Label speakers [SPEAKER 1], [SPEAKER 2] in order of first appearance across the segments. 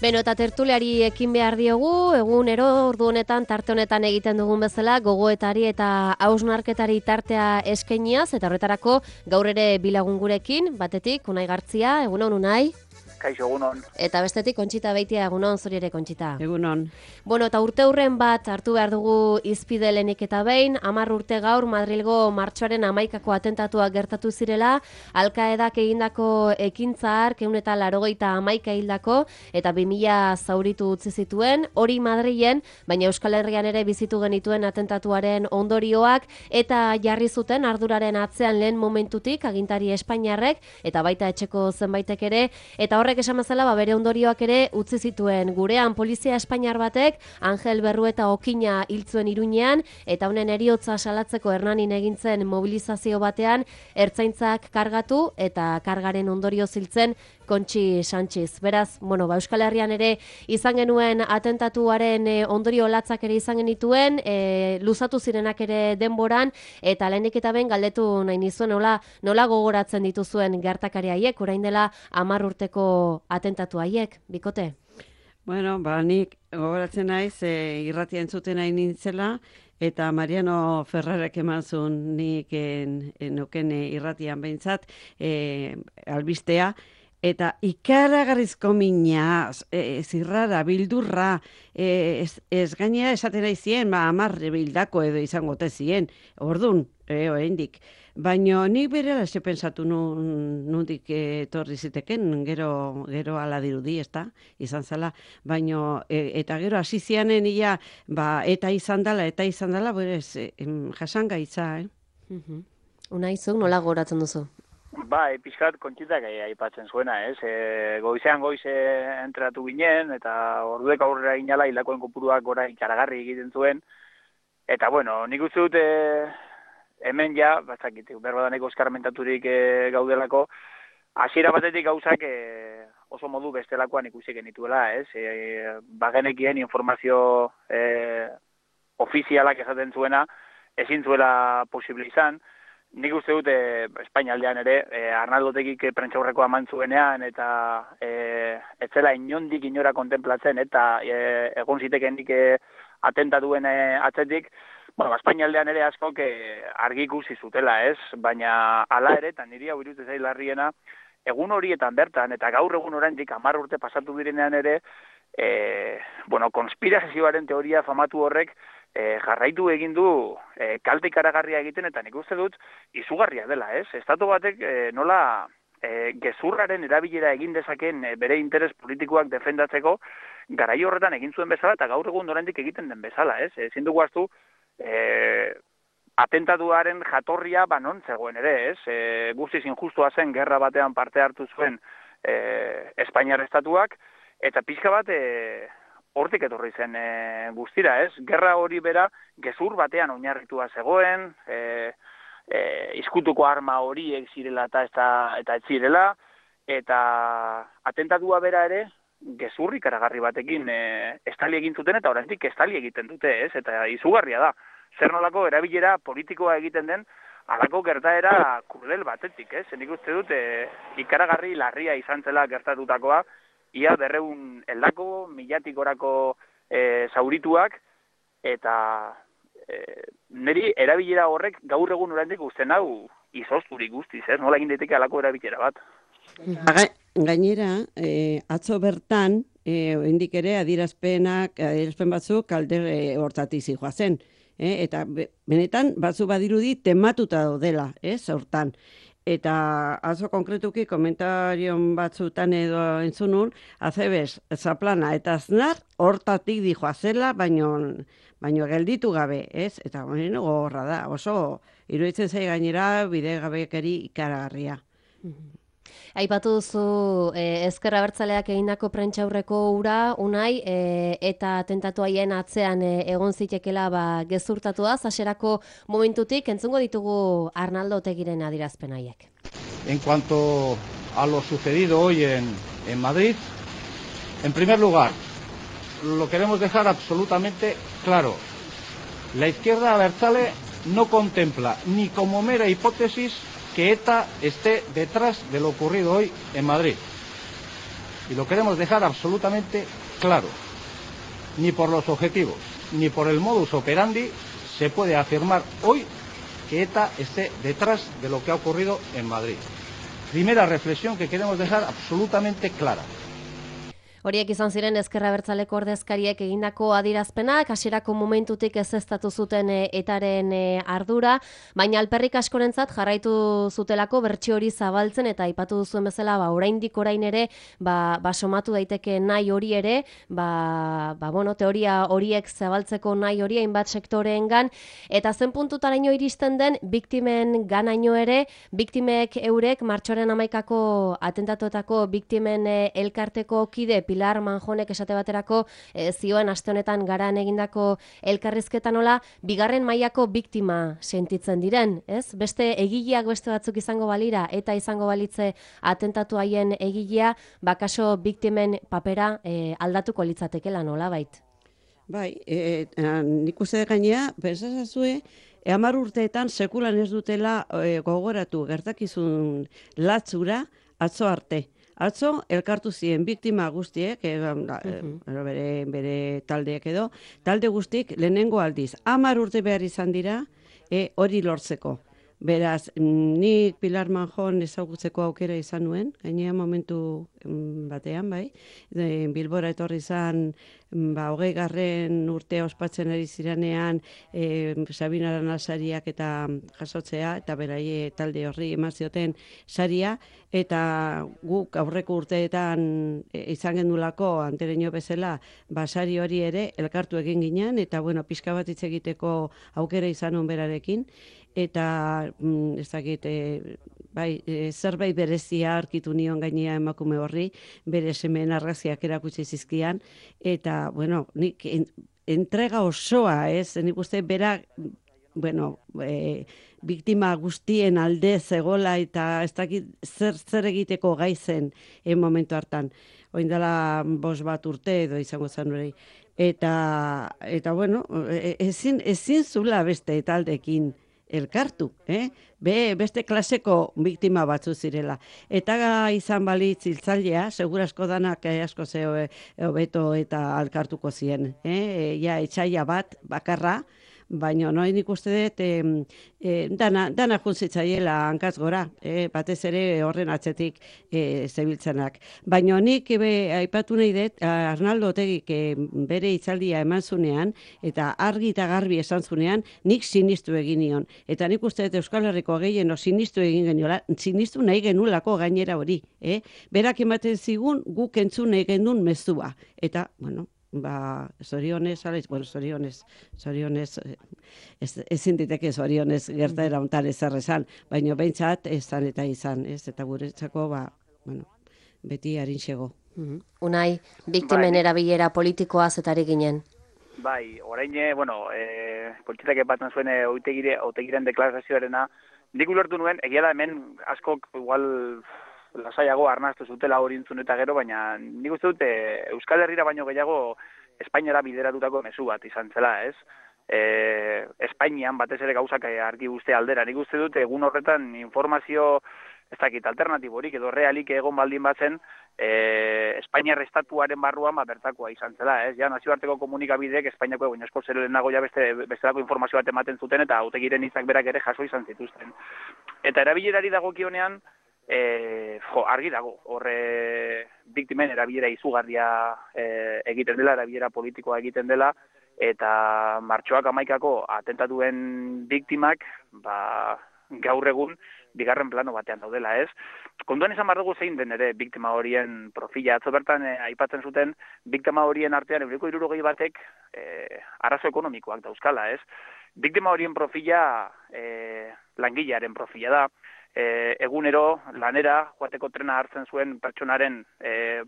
[SPEAKER 1] Beno, eta tertuliari ekin behar diogu, egunero ordu honetan, tarte honetan egiten dugun bezala, gogoetari eta hausnarketari tartea eskainiaz, eta horretarako gaur ere bilagun gurekin, batetik, Unai Gartzia, egunon Unai.
[SPEAKER 2] Kaixo, egunon.
[SPEAKER 1] Eta bestetik, Kontxita Beitia, egunon, zuri ere Kontxita.
[SPEAKER 3] Egunon.
[SPEAKER 1] Bueno, eta urte hurren bat hartu behar dugu izpide lehenik eta behin, 10 urte gaur Madrilgo martxoaren 11ko atentatuak gertatu zirela, Alkaedak egindako ekintza hark 181 hildako eta 2000 zauritu utzi zituen, hori Madrilen, baina Euskal Herrian ere bizitu genituen atentatuaren ondorioak, eta jarri zuten arduraren atzean lehen momentutik agintari espainiarrek, eta baita etxeko zenbaitek ere, eta horrek esan bezala bere ondorioak ere utzi zituen. Gurean polizia espainiar batek Angel Berrueta Okina hiltzuen Iruñean eta honen heriotza salatzeko Hernanin egintzen mobilizazio batean ertzaintzak kargatu eta kargaren ondorio ziltzen Kontxi Sánchez. Beraz, Euskal Herrian ere izan genuen atentatuaren ondorio latzak ere izan genituen, luzatu zirenak ere denboran, eta lehenik eta ben galdetu nahi nizuen nola gogoratzen dituzuen gertakari haiek, orain dela 10 urteko atentatu haiek, bikote?
[SPEAKER 3] Bueno, nik gogoratzen naiz, irratia entzuten nahi nintzela, eta Mariano Ferrarek eman zuen nik nuken irratian behintzat, albistea, eta ikaragarrizko mina, zirrara, bildurra, ez gainera esaten nahi zien, 10 bildako edo izango zien, orduan, oraindik. Baina nik berela ze pensatu nundik etorri ziteken, gero ala dirudi, ezta, izan zala, baina, eta gero hasi zianen ia, eta izan dela, berez, jasangaitza,
[SPEAKER 1] Unai, zuk nola gogoratzen duzu?
[SPEAKER 2] Pixkat Kontxitak aipatzen zuena, ez? Goizean entratu ginen, eta orduek aurrera ginala, hilakoen kopuruak gora ikaragarri egiten zuen. Eta, nik uste dut, hemen ja, berbadaneko eskarmentaturik gaudelako, hasiera batetik gauzak oso modu bestelakoan ikusi genituela, ez? Bagenekien informazio ofizialak esaten zuena, ezin zuela posible izan. Nik uste dut, Espainialdean ere, Arnaldotegik prentxaurrekoa eman zuenean, eta ez zela inondik inora kontemplatzen, eta egon zitekenik atentatuen atzetik, Espainialdean ere askok argi ikusi zutela, ez? Baina hala ere, eta niri hau iruditzen zait larriena, egun horietan bertan, eta gaur egun oraindik 10 urte pasatu direnean ere, konspirazioaren teoria famatu horrek jarraitu egin du kalte ikaragarria egiten, eta nik uste dut izugarria dela, ez? Estatu batek nola gezurraren erabilera egin dezaken bere interes politikoak defendatzeko garai horretan egin zuen bezala, eta gaur egun oraindik egiten den bezala, ez? Ezin dugu ahaztu atentatuaren jatorria non zegoen ere, ez? Guztiz injustua zen gerra batean parte hartu zuen Espainiar estatuak, eta pixka bat hortik etorri zen guztira, ez? Gerra hori bera gezur batean oinarritua zegoen, izkutuko arma horiek zirela eta ez zirela, eta atentatua bera ere gezurrik ikaragarri batekin estali egin zuten, eta oraindik estali egiten dute, ez? Eta izugarria da. Zer nolako erabilera politikoa egiten den halako gertaera kurdel batetik, ez? Nik uste dut ikaragarri larria izan zela gertatutakoa, ia 200 heldako, 1000-orako zaurituak, eta niri erabilera horrek gaur egun oraindik uzten hau izozturik guztiz, ez? Nola egin daiteke halako erabilera bat.
[SPEAKER 3] Gainera, atzo bertan, oraindik ere adierazpen batzuk alde hortatik zihoazen. Eta benetan batzu badirudi tematuta daudela, hortan. Eta atzo konkretuki komentarion batzutan edo entzunun, Azebes, Zaplana eta Aznar hortatik dijoazela, baino gelditu gabe, ez? Eta gogorra da, oso iruditzen zai gainera bidegabekeri ikaragarria.
[SPEAKER 1] Aipatu duzu Ezker Abertzaleak egindako prentxaurreko hura, Unai, eta atentatu haien atzean egon zitekela gezurtatu da, hasierako momentutik, entzungo ditugu Arnaldo Otegiren adierazpen haiek.
[SPEAKER 4] En cuanto a lo sucedido hoy en Madrid, en primer lugar, lo queremos dejar absolutamente claro. La izquierda abertzale no contempla ni como mera hipótesis que ETA esté detrás de lo ocurrido hoy en Madrid. Y lo queremos dejar absolutamente claro. Ni por los objetivos, ni por el modus operandi se puede afirmar hoy que ETA esté detrás de lo que ha ocurrido en Madrid. Primera reflexión que queremos dejar absolutamente clara.
[SPEAKER 1] Horiek izan ziren Ezker Abertzaleko ordezkariek egindako adierazpenak, hasierako momentutik ezeztatu zuten etaren ardura, baina alperrik askorentzat jarraitu zutelako bertsio hori zabaltzen eta aipatu duzuen bezala, oraindik orain ere, somatu daiteke nahi hori ere, teoria horiek zabaltzeko nahi hori hainbat sektoreengan, eta zen puntutaraino iristen den biktimen ganaino ere, biktimek eurek martxoaren 11ako atentatuetako biktimen elkarteko kide Pilar Manjonek esate baterako zioen aste honetan Garan egindako elkarrizketan nola bigarren mailako biktima sentitzen diren, ez? Beste egileak beste batzuk izango balira eta izango balitze atentatu haien egilea, bakaso biktimen papera aldatuko litzatekeela nolabait.
[SPEAKER 3] Bai, nik uste gainea, pensazazue, 10 urteetan sekulan ez dutela gogoratu gertakizun latzura atzo arte. Atzo, elkartu ziren biktima guztiek, bere taldeek edo, talde guztiek lehenengo aldiz. 10 urte behar izan dira, hori lortzeko. Beraz, nik Pilar Manjon ezagutzeko aukera izan nuen, gainea momentu batean, bai. Bilbora etorri izan, 20. urtea ospatzen ari ziranean, Sabina Arana sariak eta jasotzea, eta beraie talde horri eman zioten saria, eta guk aurreko urteetan izan gendulako antereño bezala, sari hori ere elkartu egin ginen, eta pixka bat hitz egiteko aukera izan nuen berarekin, eta ez dakit, zerbait berezia aurkitu nion gainea emakume horri, bere semen argazkiak erakutsi zizkian, eta, nik entrega osoa, nik uste bera, biktima guztien alde zegola eta ez dakit zer egiteko gaizen momentu hartan. Oindala 5 urte edo izango zen hori. Eta ezin zula beste taldekin elkartu, beste klaseko biktima batzu zirela. Eta izan balitz hiltzailea, segurasko danak asko hobeto eta alkartuko ziren. Etxaila bat, bakarra, baina nik uste dut dana juntzitzaiela hankaz gora, batez ere horren atzetik zebiltzenak. Baina nik aipatu nahi dut, Arnaldo Otegik bere hitzaldia eman zunean, eta argi eta garbi esan zunean, nik sinistu egin nion. Eta nik uste dut Euskal Herriko gehieno sinistu egin geniola, sinistu nahi genulako gainera hori. Berak ematen zigun guk entzun nahi genuen mezua. Eta, zorionez, ezin diteke zorionez gertaera hontan ezer esan, baina behintzat ezan eta izan, eta guretzako, beti harintxego.
[SPEAKER 1] Unai, biktimen erabilera politikoa zetari ginen.
[SPEAKER 2] Bai, orain, polititak epatzen zuen otegiren deklarazioarena, nik ulertu nuen, egia da hemen askok igual lasaiago arnaztu zutela hori entzun eta gero, baina nik uste dute Euskal Herrira baino gehiago Espainiara bideratutako mezu bat izan zela, ez? Espainian batez ere gauzak argi guzti aldera. Nik uste dute egun horretan informazio, ez dakit, alternatiborik edo realik egon baldin batzen, Espainiar estatuaren barruan bertakoa izan zela, ez? Ja, nazioarteko komunikabideek Espainiako egun esko zer lehenago ja bestelako informazio bat ematen zuten eta Otegiren hitzak berak ere jaso izan zituzten. Eta erabilerari dagokionean, argi dago, horre biktimen erabilera izugarria egiten dela, erabilera politikoa egiten dela, eta martxoak 11ako atentatuen biktimak, gaur egun, bigarren plano batean daudela, ez? Konduan izan behar dugu zein den ere biktima horien profila. Atzo bertan aipatzen zuten biktima horien artean 60 batek arazo ekonomikoak dauzkala, ez? Biktima horien profila langilearen profila da. Egunero, lanera, joateko trena hartzen zuen pertsonaren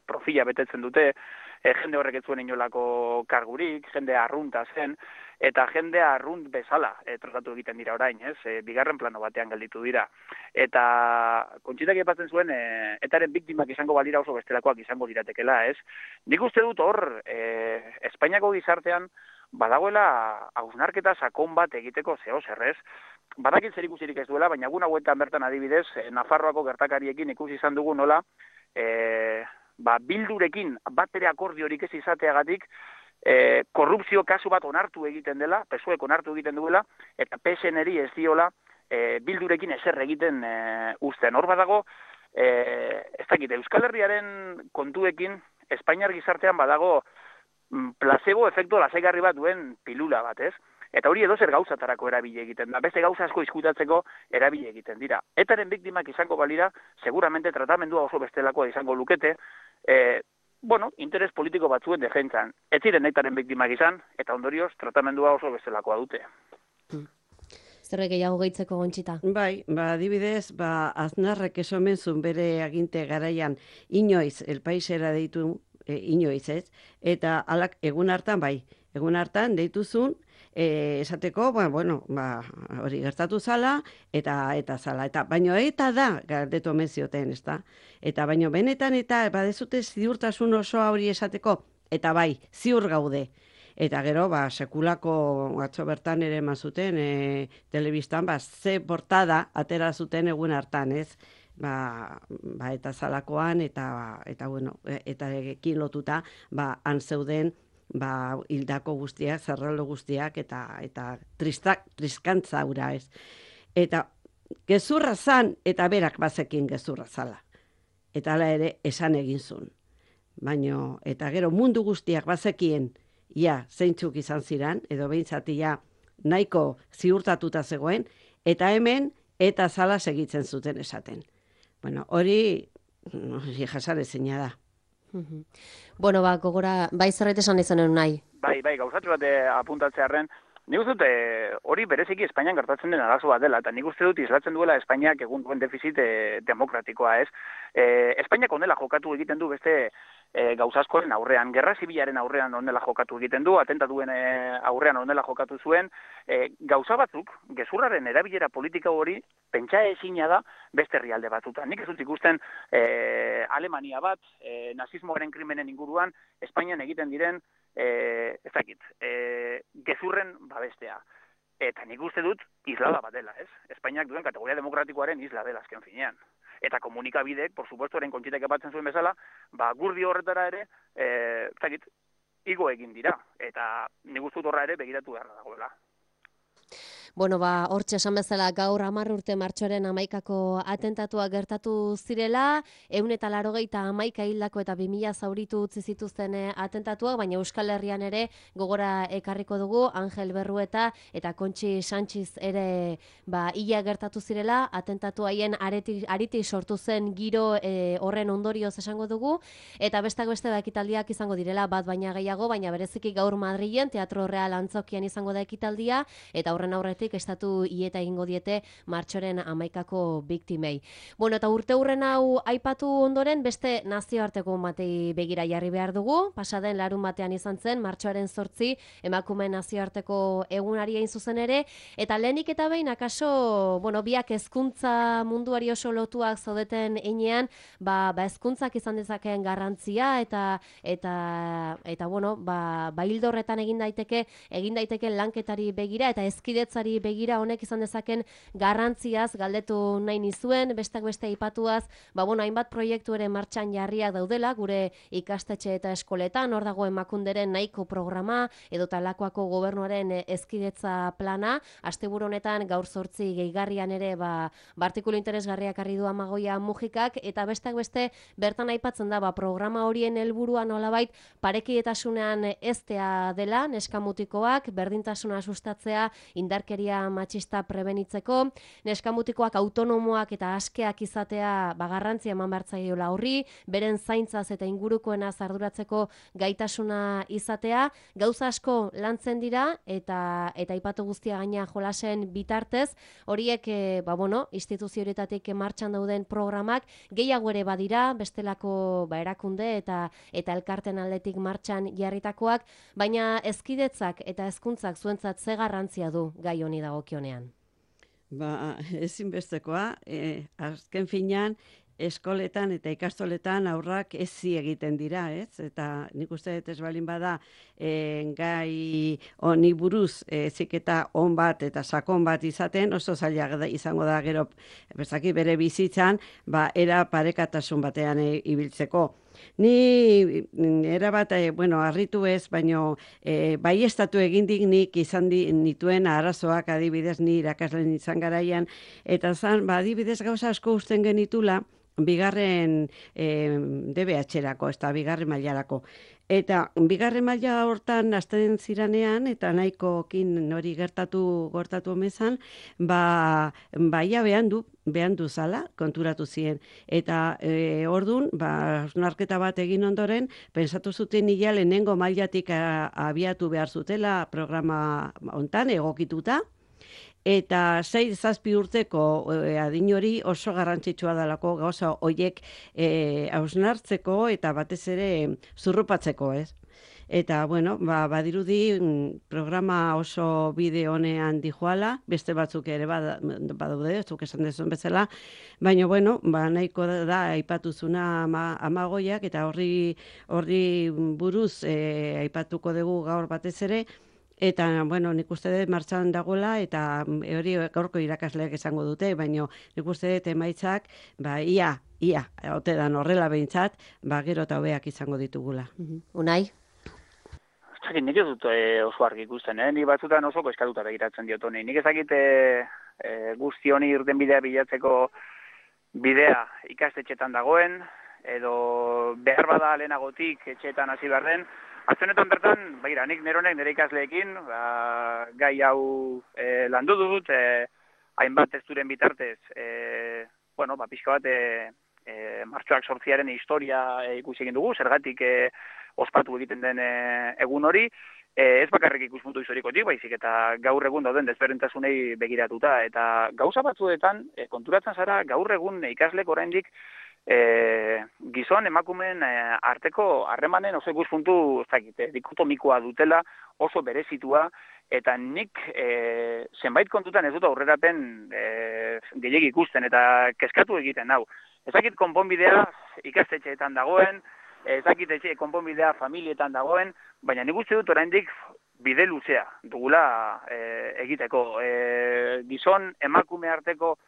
[SPEAKER 2] profila betetzen dute, jende horrek ez zuen inolako kargurik, jende arrunta zen, eta jende arrunt bezala tratatu egiten dira orain, ez? Bigarren plano batean gelditu dira. Eta kontxitak epatzen zuen, etaren biktimak izango balira oso bestelakoak izango diratekela, ez? Nik uste dut hor, Espainiako gizartean, badagoela hausnarketa sakon bat egiteko zeo zerrez, badakit zer ikusirik ez duela, baina egun hauetan bertan adibidez, Nafarroako gertakariekin ikusi izan dugu nola, Bildurekin bat ere akordiorik ez izateagatik, korrupzio kasu bat onartu egiten dela, PSOEk onartu egiten duela, eta PSN-eri ez diola Bildurekin ezer egiten uzten. Hor badago, ez dakit, Euskal Herriaren kontuekin, Espainiar gizartean badago placebo efektu lasaigarri bat duen pilula bat, ez? Eta hori edozer gauzatarako erabili egiten da, beste gauza asko izkutatzeko erabili egiten dira. Etaren biktimak izango balira, seguramente tratamendua oso bestelakoa izango lukete, interes politiko batzuen defentsan. Ez ziren etaren biktimak izan, eta ondorioz tratamendua oso bestelakoa dute.
[SPEAKER 1] Zerbait gehiago gehitzeko, Gontxita?
[SPEAKER 3] Bai, adibidez, Aznarrek esomenzun bere aginte garaian inoiz, el paisera deitu, inoiz ez, eta egun hartan deituzun, esateko, hori gertatu zala, eta zala, baino eta da, galdetu omen zioten, ez da? Eta baino benetan, eta badezute ziurtasun osoa hori esateko, eta bai, ziur gaude. Eta gero, sekulako atzo bertan ere mazuten, telebistan, ze portada atera zuten egun hartan, ez? Eta zalakoan, eta ekin lotuta, han zeuden, hildako guztiak, zerraldo guztiak, eta triskantza ura, ez? Eta gezurra zan, eta berak bazekin gezurra zala. Eta hala ere, esan egin zuen. Baina, eta gero mundu guztiak bazekien, zeintzuk izan ziran, edo behintzati nahiko ziurtatuta zegoen, eta hemen, eta zala segitzen zuten esaten. Hori jasarezina da.
[SPEAKER 1] Gogora, zerbait esan izanen nahi.
[SPEAKER 2] Bai, gauzatxo bat apuntatzearren, nik uste dut hori bereziki Espainian gertatzen den arazo bat dela, eta nik uste dut islatzen duela Espainiak egun duen defizit demokratikoa, ez? Espainiak onela jokatu egiten du beste gauzaskoren aurrean, gerra zibilaren aurrean onela jokatu egiten du, atentatuen aurrean onela jokatu zuen, gauza batzuk, gezurraren erabilera politika hori, pentsa ezina da beste herrialde batzutan. Nik ez dut ikusten Alemania bat, nazismoaren krimenen inguruan, Espainian egiten diren, gezurren babestea. Eta nik uste dut islada bat dela, ez? Espainiak duen kategoria demokratikoaren isla dela azken finean. Eta komunikabidek, por supuesto, eren kontxitek epatzen zuen bezala, gurdi horretara ere, igo egin dira. Eta nik uste dut horra ere begiratu beharra dagoela.
[SPEAKER 1] Hortxe esan bezala gaur 10 urte martxoaren 11ko atentatua gertatu zirela, 181 hildako eta 2000 zauritu utzi zituzten atentatuak, baina Euskal Herrian ere gogora ekarriko dugu Angel Berrueta eta Kontxi Sanchiz ere hila gertatu zirela, atentatu haien ariti sortu zen giro horren ondorioz esango dugu, eta bestak beste ekitaldiak izango direla bat baina gehiago, baina bereziki gaur Madrilen Teatro Real Antzokian izango da ekitaldia, eta horren aurretik estatu hieta egingo diete martxoren 11ko biktimei. Eta urte hurren hau aipatu ondoren beste nazioarteko batei begira jarri behar dugu. Pasaden larun batean izan zen, martxoaren 8 emakume nazioarteko egunari hain zuzen ere, eta lehenik eta behin akaso, biak hezkuntza munduari oso lotuak zaudeten einean, hezkuntzak izan dezakeen garrantzia eta hildo horretan egin daiteke lanketari begira eta hezkidetzari begira honek izan dezaken garrantziaz galdetu nahi nizuen, bestak beste aipatuaz, hainbat proiektu ere martxan jarriak daudela, gure ikastetxe eta eskoletan, hor dago Emakunderen nahiko programa, edo Talakoako gobernuaren hezkidetza plana, asteburu honetan gaur 8 gehigarrian ere artikulu interesgarriak harri du Amagoia Mujikak, eta bestak beste bertan aipatzen da, programa horien helburua nolabait parekidetasunean eztea dela, neskamutikoak, berdintasuna sustatzea, indarkeria matxista prebenitzeko, neskamutikoak autonomoak eta askeak izatea garrantzia eman bertzaiola horri, beren zaintzaz eta ingurukoena arduratzeko gaitasuna izatea, gauza asko lantzen dira eta aipatu guztia gaina jolasen bitartez, horiek instituzio horietatik martxan dauden programak gehiago ere badira, bestelako erakunde eta elkarten aldetik martxan jarritakoak, baina hezkidetzak eta hezkuntzak zuentzat ze garrantzia du gai honi dagokionean?
[SPEAKER 3] Ezinbestekoa, azken finean, eskoletan eta ikastoletan aurrak ezi egiten dira, ez? Eta nik uste ez balin bada gai honi buruz eziketa on bat eta sakon bat izaten, oso zaila izango da gero bere bizitzan, era parekatasun batean ibiltzeko. Ni erabat, bueno, harritu ez, baino baiestatu egindik nik izan nituen arazoak adibidez ni irakasleen izan garaian, eta zan, adibidez gauza asko usten genitula, bigarren DBH-erako, ez da, bigarren mailarako. Eta bigarren maila hortan hasten ziranean, eta nahikokin hori gertatu omezan, baia behan du zala, konturatu ziren. Eta ordun, hausnarketa bat egin ondoren, pensatu zuten nila lehenengo mailatik abiatu behar zutela programa hontan egokituta, eta 6-7 urteko adin hori oso garrantzitsua dalako gauza horiek hausnartzeko eta batez ere zurrupatzeko, ez? Eta, bueno, badirudi programa oso bide honean dijoala, beste batzuk ere badaude, zuk esan dezun bezala, baina, bueno, nahiko da aipatuzuna amagoiak, eta horri buruz aipatuko dugu gaur batez ere, eta, bueno, nik uste dut martxan dagoela, eta hori gaurko irakasleak esango dute, baina nik uste dut emaitzak, ia, ote dan horrela behintzat, gero eta hobeak izango ditugula.
[SPEAKER 1] Unai?
[SPEAKER 2] Zakin, nik ez dut oso argi ikusten, Ni batzutan oso eskatuta begiratzen diot honi. Nik ezakit guzti honi irten bidea bilatzeko bidea ikastetxetan dagoen, edo behar bada lehenagotik etxeetan hasi behar den. Aztenetan bertan, nik nire ikasleekin, gai hau landu dut, hainbat testuren bitartez, pixka bat martxoak 8-aren historia ikusi egin dugu, zergatik ospatu egiten den egun hori, ez bakarrik ikuspuntu historikotik, baizik eta gaur egun dauden desberdintasunei begiratuta, eta gauza batzuetan konturatzen zara gaur egun ikaslek oraindik gizon emakumeen arteko harremanen oso ikuspuntu dikotomikoa dutela, oso berezitua, eta nik zenbait kontutan ez dut aurrerapen gehiegi ikusten eta kezkatu egiten hau. Ezakit konponbidea ikastetxeetan dagoen, ezakit konponbidea familietan dagoen, baina nik uste dut oraindik bide luzea dugula egiteko. Gizon emakume arteko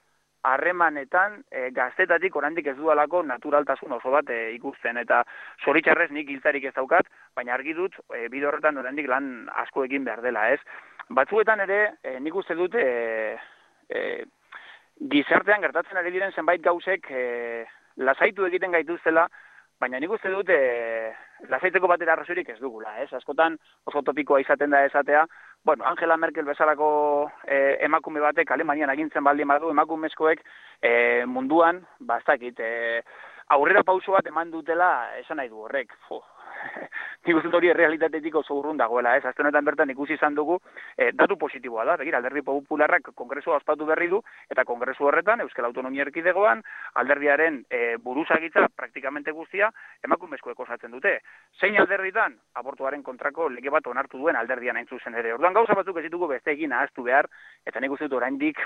[SPEAKER 2] harremanetan gaztetatik oraindik ez dudalako naturaltasun oso bat ikusten, eta zoritxarrez nik hiltzarik ez daukat, baina argi dut bide horretan oraindik lan asko egin behar dela, ez? Batzuetan ere nik uste dut gizartean gertatzen ari diren zenbait gauzek lasaitu egiten gaituztela, baina nik uste dut lasaitzeko batera arrazoirik ez dugula, ez? Askotan oso topikoa izaten da esatea, Angela Merkel bezalako emakume batek Alemanian agintzen baldin badu, emakumezkoek munduan, aurrera pauso bat eman dutela esan nahi du horrek. Nik uste hori errealitatetik oso urrun dagoela, ez? Azte honetan bertan ikusi izan dugu, datu positiboa da, begira, Alderdi Popularrak kongresua ospatu berri du, eta kongresu horretan, Euskal Autonomia Erkidegoan, alderdiaren buruzagitza praktikamente guztia, emakumezkoek osatzen dute. Zein alderditan, abortuaren kontrako lege bat onartu duen alderdian hain zuzen ere. Orduan gauza batzuk ez ditugu beste egin ahaztu behar, eta nik uste dut oraindik,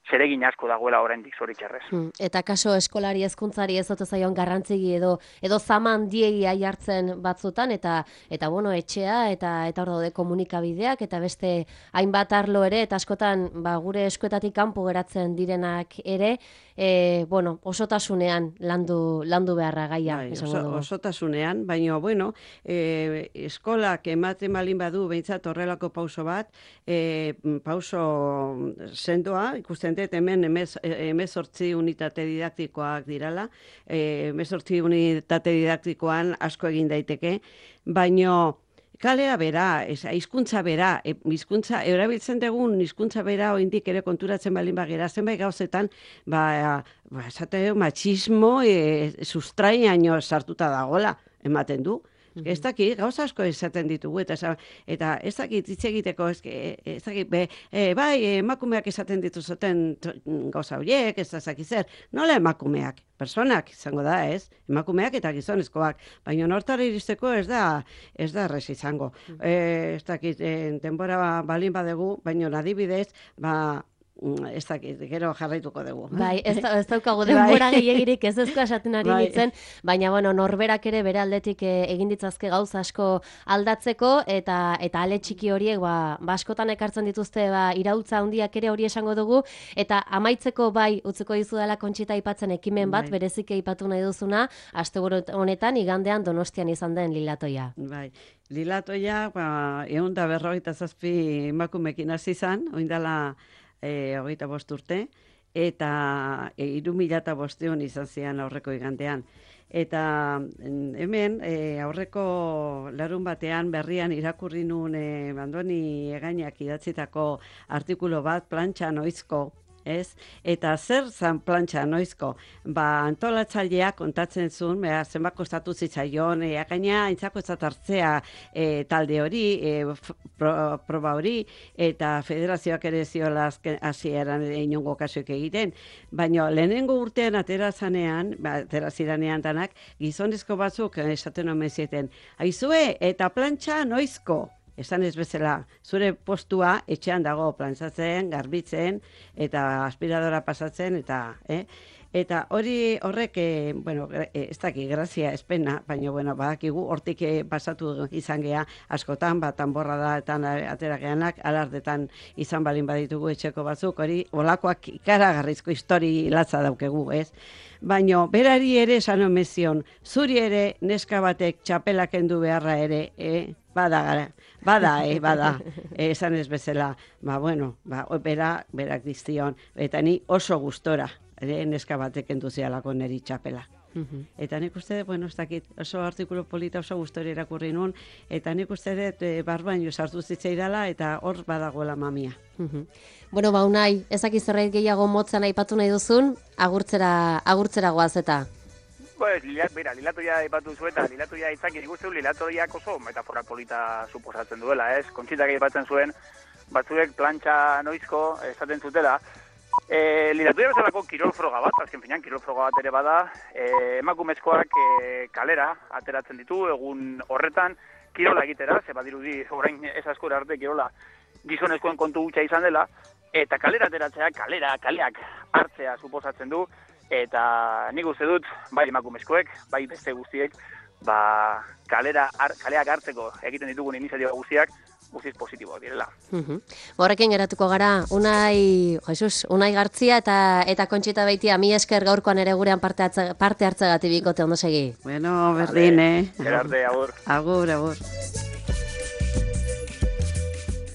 [SPEAKER 2] zeregin asko dagoela oraindik zoritxarrez.
[SPEAKER 1] Eta kaso eskolari hezkuntzari ez ote zaion garrantzigi edo zaman diegi aiartzen batzutan, eta bueno, etxea eta hor daude komunikabideak eta beste hainbat arlo ere, eta askotan gure eskuetatik kanpo geratzen direnak ere, osotasunean landu beharra gaia.
[SPEAKER 3] Osotasunean, baina, bueno, eskolak ematen balin badu behintzat horrelako pauso bat, pauso sendoa, ikusten dut hemen 18 unitate didaktikoak dirala, 18 unitate didaktikoan asko egin daiteke, baino kalea bera, hizkuntza bera, erabiltzen dugun hizkuntza bera oindik ere konturatzen balin bagera, zenbait gauzetan, esate machismo sustrainaino sartuta dagola, ematen du. Ez dakit, gauza asko esaten ditugu, eta ez dakit hitz egiteko, ez dakit, emakumeak esaten dituzuten gauza horiek, ez dakit zer, nola emakumeak, personak izango da, ez? Emakumeak eta gizonezkoak, baina nortara iristeko ez da errez izango. Ez dakit, denbora balin badegu, baina adibidez, ez dakit, gero jarraituko dugu.
[SPEAKER 1] Bai, ez daukagu denbora gehiagirik ez ezko esaten ari nintzen, baina bueno, norberak ere bere aldetik egin ditzazke gauza asko aldatzeko, eta ale txiki horiek askotan ekartzen dituzte iraultza handiak ere hori esango dugu, eta amaitzeko bai utzeko dizu dela Kontxita aipatzen ekimen bat, berezik aipatu nahi duzuna, asteburu honetan igandean Donostian izan den Lilatoia.
[SPEAKER 3] Bai, Lilatoia, 157 emakumekin hasi izan, oindala 25 urte, eta 3.500 izan zian aurreko igandean. Eta hemen aurreko larun batean berrian irakurri nun Andoni Egainak idatzitako artikulu bat, plantxa noizko, ez? Eta zer zan plantxa noizko? Antolatzaileak kontatzen zuen, zenbat kostatu zitzaion, gaina aintzako hartzea talde hori, proba hori, eta federazioak ere ziola hasieran inongo kasuik egiten, baina lehenengo urtean atera ziranean danak, gizonezko batzuk esaten omen zieten, aizue, eta plantxa noizko? Esan ez bezala, zure postua etxean dago plantzatzen, garbitzen, eta aspiradora pasatzen, eta horrek, ez daki, grazia, espena, baina, badakigu, hortik pasatu izan gea, askotan, tanborra da, eta atera geanak, alardetan izan balin baditugu etxeko batzuk, hori, olakoak ikaragarrizko histori latza daukegu, ez? Baina, berari ere esan omezion, zuri ere neska batek txapelak kendu beharra ere, bada, esan ez bezala, berak diztion, eta ni oso gustora, neska batek entuzialako neri txapela. Eta nik uste, ez dakit, oso artikulu polita oso gustora irakurri nun, eta nik uste dut barbaino sartu zitzaidala, eta hor badagoela mamia.
[SPEAKER 1] Bueno, Unai, ezak zerbait gehiago motzan aipatu nahi duzun, agurtzera goaz eta.
[SPEAKER 2] Lilatoia aipatu zuen, eta Lilatoia itzak ikusten du Lilatoiak oso metafora polita suposatzen duela, ez? Kontxitak aipatzen zuen, batzuek plantxa noizko esaten zutela. Lilatoia bezalako kirol froga bat, azken finean kirol froga bat ere bada, emakumezkoak kalera ateratzen ditu, egun horretan kirola egitera, ze badirudi orain ez askora arte kirola gizonezkoen kontu gutxa izan dela, eta kalera ateratzea, kaleak hartzea suposatzen du, eta nik uste dut, bai emakumezkoek, bai beste guztiek, kaleak hartzeko egiten ditugun iniziatiba guztiak, guztiz positiboak direla.
[SPEAKER 1] Horrekin geratuko gara, Unai Gartzia eta Kontxita Beitia, mi esker gaurkoan ere gurean parte hartzegatik bikote ondo segi.
[SPEAKER 3] Bueno, berdin,
[SPEAKER 2] Gerarte, agur.
[SPEAKER 3] Agur.